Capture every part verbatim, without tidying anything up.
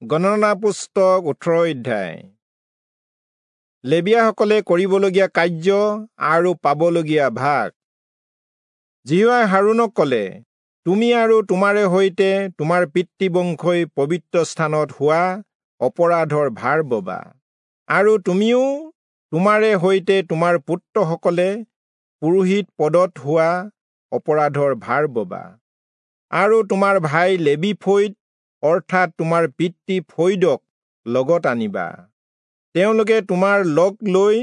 গণনা পুস্তক ওঠৰ অধ্যায়। লেবীয়াসকলে কৰিবলগীয়া কাৰ্য আৰু পাবলগীয়া ভাগ। যিহোৱাই হাৰোণক কলে, তুমি আৰু তোমাৰে সৈতে তোমাৰ পিতৃবংশই পবিত্ৰ স্থানত হোৱা অপৰাধৰ ভাৰ ববা, আৰু তুমিও তোমাৰে সৈতে তোমাৰ পুত্ৰসকলে পুৰোহিত পদত হোৱা অপৰাধৰ ভাৰ ববা, আৰু তোমাৰ ভাই লেবী ফৈদ অৰ্থাৎ তোমাৰ পিতৃ ফৈদক লগত আনিবা। তেওঁলোকে তোমাৰ লগ লৈ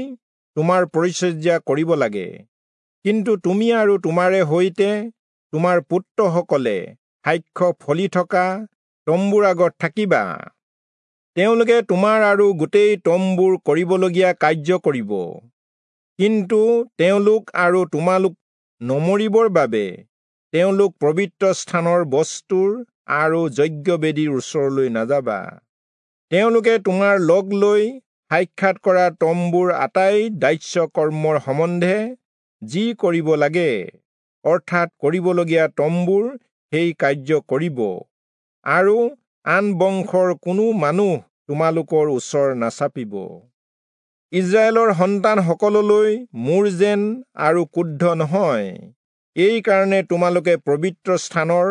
তোমাৰ পৰিচৰ্যা কৰিব লাগে, কিন্তু তুমি আৰু তোমাৰে সৈতে তোমাৰ পুত্ৰসকলে সাক্ষ্য ফলি থকা তম্বুৰ আগত থাকিবা। তেওঁলোকে তোমাৰ আৰু গোটেই তম্বুৰ কৰিবলগীয়া কাৰ্য কৰিব, কিন্তু তেওঁলোক আৰু তোমালোক নমৰিবৰ বাবে তেওঁলোক পবিত্ৰ স্থানৰ বস্তুৰ আৰু যজ্ঞবেদীৰ ওচৰলৈ নাযাবা। তেওঁলোকে তোমাৰ লগ লৈ সাক্ষাৎ কৰা তম্বুৰ আটাই দাস্য কৰ্মৰ সম্বন্ধে যি কৰিব লাগে, অৰ্থাৎ কৰিবলগীয়া তম্বুৰ সেই কাৰ্য কৰিব, আৰু আন বংশৰ কোনো মানুহ তোমালোকৰ ওচৰ নাচাপিব। ইস্ৰায়েলৰ সন্তানসকললৈ মোৰ যেন আৰু ক্ৰুদ্ধ নহয়, এই কাৰণে তোমালোকে পবিত্ৰ স্থানৰ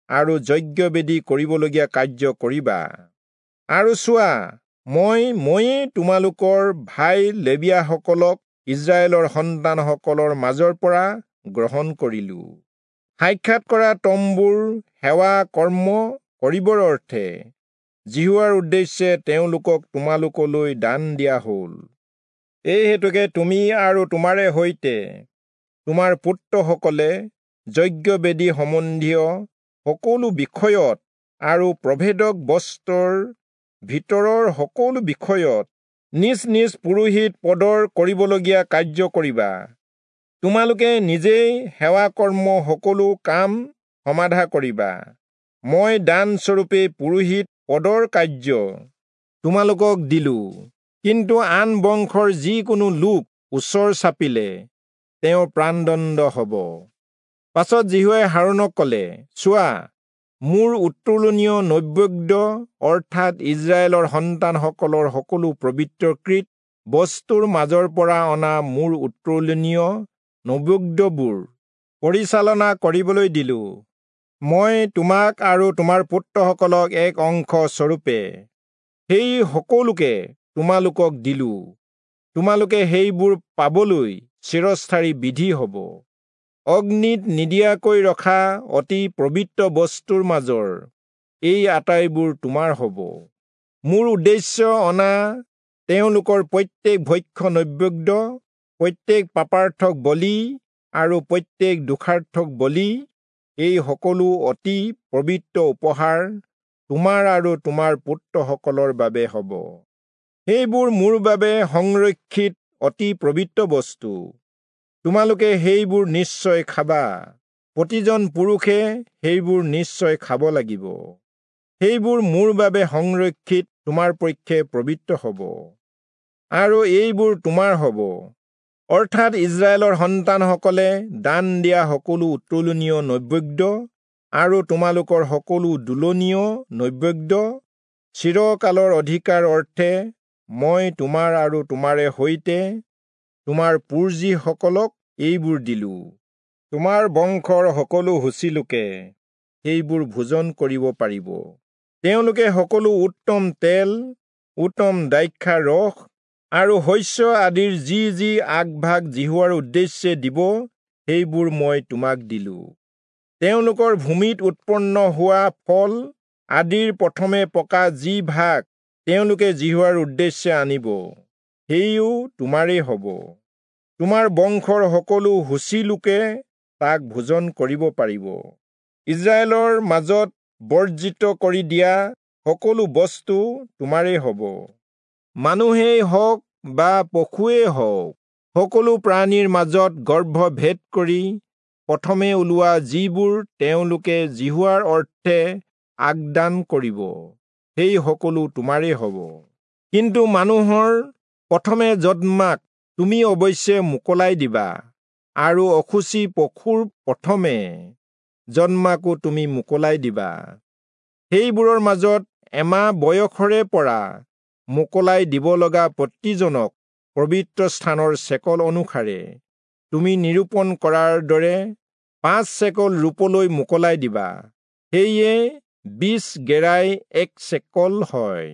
আৰু যজ্ঞবেদী কৰিবলগীয়া কাৰ্য কৰিবা। আৰু চোৱা, মই ময়েই তোমালোকৰ ভাই লেবীয়াসকলক ইস্ৰায়েলৰ সন্তানসকলৰ মাজৰ পৰা গ্ৰহণ কৰিলো। সাক্ষাৎ কৰা তম্বুৰ সেৱা কৰ্ম কৰিবৰ অৰ্থে যিহোৱাৰ উদ্দেশ্যে তেওঁলোকক তোমালোকলৈ দান দিয়া হল। এই হেতুকে তুমি আৰু তোমাৰে সৈতে তোমাৰ পুত্ৰসকলে যজ্ঞবেদী সম্বন্ধীয় সকলো বিষয়ত আৰু প্ৰভেদক বস্ত্ৰৰ ভিতৰৰ সকলো বিষয়ত নিজ নিজ পুৰোহিত পদৰ কৰিবলগীয়া কাৰ্য কৰিবা। তোমালোকে নিজেই সেৱা কৰ্ম সকলো কাম সমাধা কৰিবা। মই দানস্বৰূপে পুৰোহিত পদৰ কাৰ্য তোমালোকক দিলো, কিন্তু আন বংশৰ যিকোনো লোক ওচৰ চাপিলে তেওঁৰ প্ৰাণদণ্ড হব। পাছত যিহোৱাই হাৰোণক কলে, চোৱা, মোৰ উত্তোলনীয় নৈবেদ্য অৰ্থাৎ ইস্ৰায়েলৰ সন্তানসকলৰ সকলো পবিত্ৰকৃত বস্তুৰ মাজৰ পৰা অনা মোৰ উত্তোলনীয় নৈবেদ্যবোৰ পৰিচালনা কৰিবলৈ দিলো। মই তোমাক আৰু তোমাৰ পুত্ৰসকলক এক অংশ স্বৰূপে সেই সকলোকে তোমালোকক দিলো। তোমালোকে সেইবোৰ পাবলৈ চিৰস্থায়ী বিধি হব। অগ্নিত নিদিয়াকৈ ৰখা অতি পবিত্ৰ বস্তুৰ মাজৰ এই আটাইবোৰ তোমাৰ হব। মোৰ উদ্দেশ্য অনা তেওঁলোকৰ প্ৰত্যেক ভক্ষ্য নৈবেদ্য, প্ৰত্যেক পাপাৰ্থক বলি আৰু প্ৰত্যেক দোষাৰ্থক বলি, এই সকলো অতি পবিত্ৰ উপহাৰ তোমাৰ আৰু তোমাৰ পুত্ৰসকলৰ বাবে হব। সেইবোৰ মোৰ বাবে সংৰক্ষিত অতি পবিত্ৰ বস্তু। তোমালোকে সেইবোৰ নিশ্চয় খাবা। প্ৰতিজন পুৰুষে সেইবোৰ নিশ্চয় খাব লাগিব। সেইবোৰ মোৰ বাবে সংৰক্ষিত তোমাৰ পক্ষে পবিত্ৰ হব, আৰু এইবোৰ তোমাৰ হব, অৰ্থাৎ ইস্ৰায়েলৰ সন্তানসকলে দান দিয়া সকলো উত্তোলনীয় নৈবেদ্য আৰু তোমালোকৰ সকলো দোলনীয় নৈবেদ্য চিৰকালৰ অধিকাৰ অৰ্থে মই তোমাৰ আৰু তোমাৰে সৈতে তোমাৰ পুৰ্জীসকলক এইবোৰ দিলো। তোমাৰ বংশৰ সকলো সূচীলোকে সেইবোৰ ভোজন কৰিব পাৰিব। তেওঁলোকে সকলো উত্তম তেল, উত্তম দ্ৰাক্ষা ৰস আৰু শস্য আদিৰ যি যি আগভাগ যিহোৱাৰ উদ্দেশ্যে দিব, সেইবোৰ মই তোমাক দিলো। তেওঁলোকৰ ভূমিত উৎপন্ন হোৱা ফল আদিৰ প্ৰথমে পকা যি ভাগ তেওঁলোকে যিহোৱাৰ উদ্দেশ্যে আনিব, সেইও তোমাৰেই হব। তোমাৰ বংশৰ সকলো সূচীলোকে তাক ভোজন কৰিব পাৰিব। ইস্ৰায়েলৰ মাজত বৰ্জিত কৰি দিয়া সকলো বস্তু তোমাৰেই হব। মানুহেই হওক বা পশুৱেই হওক, সকলো প্ৰাণীৰ মাজত গৰ্ভভেদ কৰি প্ৰথমে ওলোৱা যিবোৰ তেওঁলোকে যিহোৱাৰ অৰ্থে আগদান কৰিব, সেই সকলো তোমাৰেই হব। কিন্তু মানুহৰ প্ৰথমে জন্মাক তুমি অৱশ্যে মোকলাই দিবা, আৰু অশুচি পশুৰ প্ৰথমে জন্মাকো তুমি মোকলাই দিবা। সেইবোৰৰ মাজত এমাহ বয়সৰে পৰা মোকলাই দিব লগা প্ৰতিজনক পবিত্ৰ স্থানৰ চেকল অনুসাৰে তুমি নিৰূপণ কৰাৰ দৰে পাঁচ চেকল ৰূপলৈ মোকলাই দিবা। সেয়ে বিশ গেৰাই এক চেকল হয়।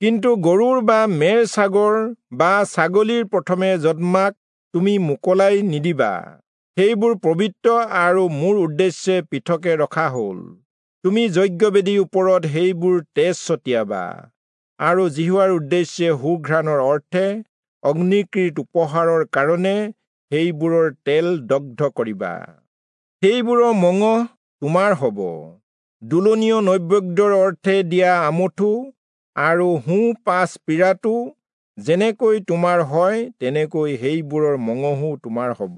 কিন্তু গৰুৰ বা মেৰ ছাগৰ বা ছাগলীৰ প্ৰথমে জন্মাক তুমি মোকলাই নিদিবা। সেইবোৰ পবিত্ৰ আৰু মোৰ উদ্দেশ্যে পৃথকে ৰখা হ'ল। তুমি যজ্ঞবেদীৰ ওপৰত সেইবোৰ তেজ ছটিয়াবা আৰু যিহোৱাৰ উদ্দেশ্যে সুঘ্ৰাণৰ অৰ্থে অগ্নিকৃত উপহাৰৰ কাৰণে সেইবোৰৰ তেল দগ্ধ কৰিবা। সেইবোৰৰ মঙহ তোমাৰ হ'ব। দোলনীয় নৈবেদ্যৰ অৰ্থে দিয়া আমঠু আৰু সোঁ পাছ পীৰাটো যেনেকৈ তোমাৰ হয়, তেনেকৈ সেইবোৰৰ মঙহো তোমাৰ হ'ব।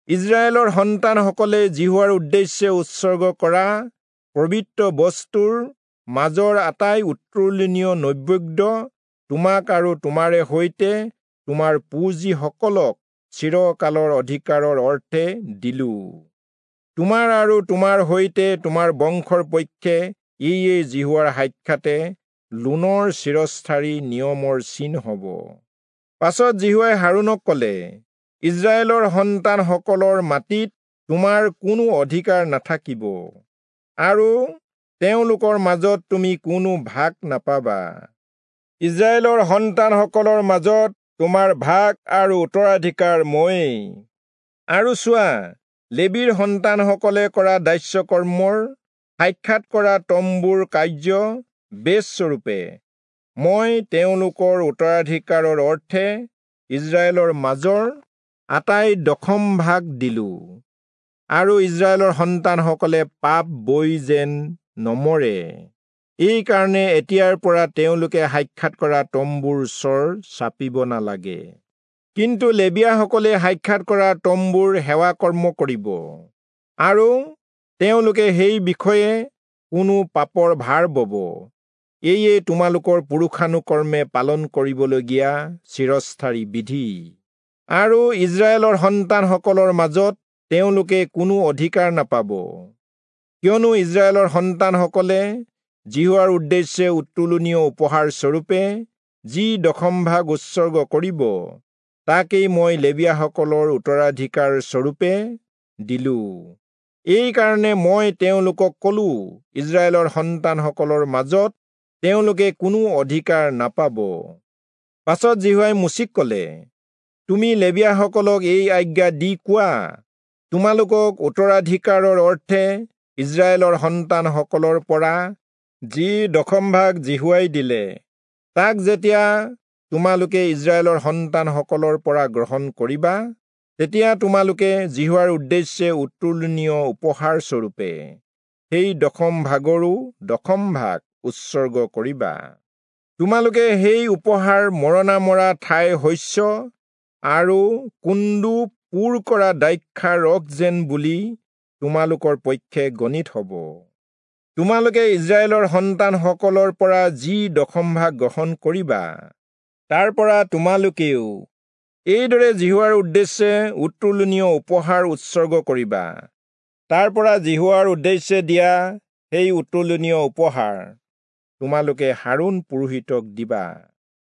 ইস্ৰায়েলৰ সন্তানসকলে যিহোৱাৰ উদ্দেশ্যে উৎসৰ্গ কৰা পবিত্ৰ বস্তুৰ মাজৰ আটাই উত্তোলনীয় নৈবেদ্য তোমাক আৰু তোমাৰে সৈতে তোমাৰ পুঁজিসকলক চিৰকালৰ অধিকাৰৰ অৰ্থে দিলোঁ। তোমাৰ আৰু তোমাৰ সৈতে তোমাৰ বংশৰ পক্ষে ইয়ে যিহোৱাৰ সাক্ষাতে লোনৰ চিৰস্থায়ী নিয়মৰ চিন হ'ব। পাছত যিহোৱাই হাৰোণক ক'লে, ইস্ৰায়েলৰ সন্তানসকলৰ মাটিত তোমাৰ কোনো অধিকাৰ নাথাকিব আৰু তেওঁলোকৰ মাজত তুমি কোনো ভাগ নাপাবা। ইস্ৰায়েলৰ সন্তানসকলৰ মাজত তোমাৰ ভাগ আৰু উত্তৰাধিকাৰ ময়েই। আৰু চোৱা, লেবীৰ সন্তানসকলে কৰা দাস্যকৰ্মৰ সাক্ষাৎ কৰা তম্বুৰ কাৰ্য বেচস্বৰূপে মই তেওঁলোকৰ উত্তৰাধিকাৰৰ অৰ্থে ইস্ৰায়েলৰ মাজৰ আটাই দশম ভাগ দিলোঁ। আৰু ইস্ৰায়েলৰ সন্তানসকলে পাপ বৈ যেন নমৰে, এইকাৰণে এতিয়াৰ পৰা তেওঁলোকে সাক্ষাৎ কৰা তম্বুৰ ওচৰ চাপিব নালাগে। কিন্তু লেবীয়াসকলে সাক্ষাৎ কৰা তম্বুৰ সেৱা কৰ্ম কৰিব আৰু তেওঁলোকে সেই বিষয়ে কোনো পাপৰ ভাৰ বব। এয়ে তোমালোকৰ পুৰুষানুকৰ্মে পালন কৰিবলগীয়া চিৰস্থায়ী বিধি। আৰু ইস্ৰায়েলৰ সন্তানসকলৰ মাজত তেওঁলোকে কোনো অধিকাৰ নাপাব, কিয়নো ইস্ৰায়েলৰ সন্তানসকলে যিহোৱাৰ উদ্দেশ্যে উত্তোলনীয় উপহাৰ স্বৰূপে যি দশম ভাগ উৎসৰ্গ কৰিব, তাকেই মই লেবীয়াসকলৰ উত্তৰাধিকাৰ স্বৰূপে দিলোঁ। এইকাৰণে মই তেওঁলোকক ক'লো, ইস্ৰায়েলৰ সন্তানসকলৰ মাজত তেওঁলোকে কোনো অধিকাৰ নাপাব। পাছত যিহোৱাই মোচিক ক'লে, তুমি লেবীয়াসকলক এই আজ্ঞা দি কোৱা, তোমালোকক উত্তৰাধিকাৰৰ অৰ্থে ইস্ৰায়েলৰ সন্তানসকলৰ পৰা যি দশম ভাগ যিহোৱাই দিলে, তাক যেতিয়া তোমালোকে ইস্ৰায়েলৰ সন্তানসকলৰ পৰা গ্ৰহণ কৰিবা, তেতিয়া তোমালোকে যিহোৱাৰ উদ্দেশ্যে উত্তোলনীয় উপহাৰ স্বৰূপে সেই দশম ভাগৰো দশম ভাগ উৎসৰ্গ কৰিবা। তোমালোকে সেই উপহাৰ মৰণা মৰা ঠাইৰ শস্য আৰু কুন্দু পূৰ কৰা দ্ৰাক্ষাৰ ৰস যেন বুলি তোমালোকৰ পক্ষে গণিত হ'ব। তোমালোকে ইস্ৰায়েলৰ সন্তানসকলৰ পৰা যি দশম ভাগ গ্ৰহণ কৰিবা, তাৰ পৰা তোমালোকেও এইদৰে যিহোৱাৰ উদ্দেশ্যে উত্তোলনীয় উপহাৰ উৎসৰ্গ কৰিবা। তাৰ পৰা যিহোৱাৰ উদ্দেশ্যে দিয়া সেই উত্তোলনীয় উপহাৰ তোমালোকে হাৰোণ পুৰোহিতক দিবা।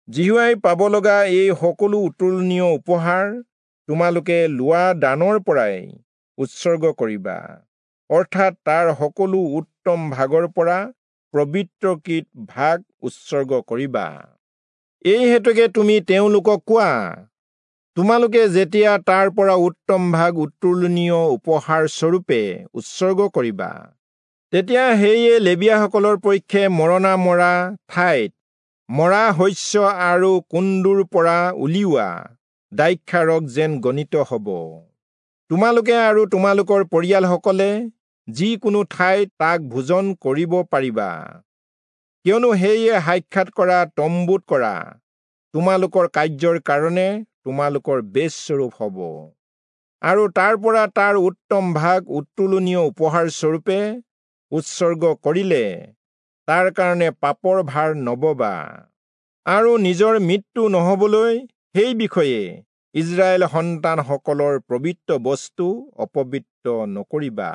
যিহোৱাই পাব লগা এই সকলো উত্তোলনীয় উপহাৰ তোমালোকে লোৱা দানৰ পৰাই উৎসৰ্গ কৰিবা, অৰ্থাৎ তাৰ সকলো উত্তম ভাগৰ পৰা পবিত্ৰকৃত ভাগ উৎসৰ্গ কৰিবা। এই হেতুকে তুমি তেওঁলোকক কোৱা, তোমালোকে যেতিয়া তাৰ পৰা উত্তম ভাগ উত্তোলনীয় উপহাৰ স্বৰূপে উৎসৰ্গ কৰিবা, তেতিয়া সেয়ে লেবীয়াসকলৰ পক্ষে মৰণা মৰা ঠাইত মৰা শস্য আৰু কুন্দুৰ পৰা উলিওৱা দ্ৰাক্ষাৰস যেন গণিত হ'ব। তোমালোকে আৰু তোমালোকৰ পৰিয়ালসকলে যিকোনো ঠাইত তাক ভোজন কৰিব পাৰিবা, কিয়নো সেয়ে সাক্ষাৎ কৰা তম্বুত কৰা তোমালোকৰ কাৰ্যৰ কাৰণে তোমালোকৰ বেচস্বৰূপ হ'ব। আৰু তাৰ পৰা তাৰ উত্তম ভাগ উত্তোলনীয় উপহাৰ স্বৰূপে উৎসৰ্গ কৰিলে তাৰ কাৰণে পাপৰ ভাৰ নববা, আৰু নিজৰ মৃত্যু নহবলৈ সেই বিষয়ে ইস্ৰায়েল সন্তানসকলৰ পবিত্ৰ বস্তু অপবিত্ৰ নকৰিবা।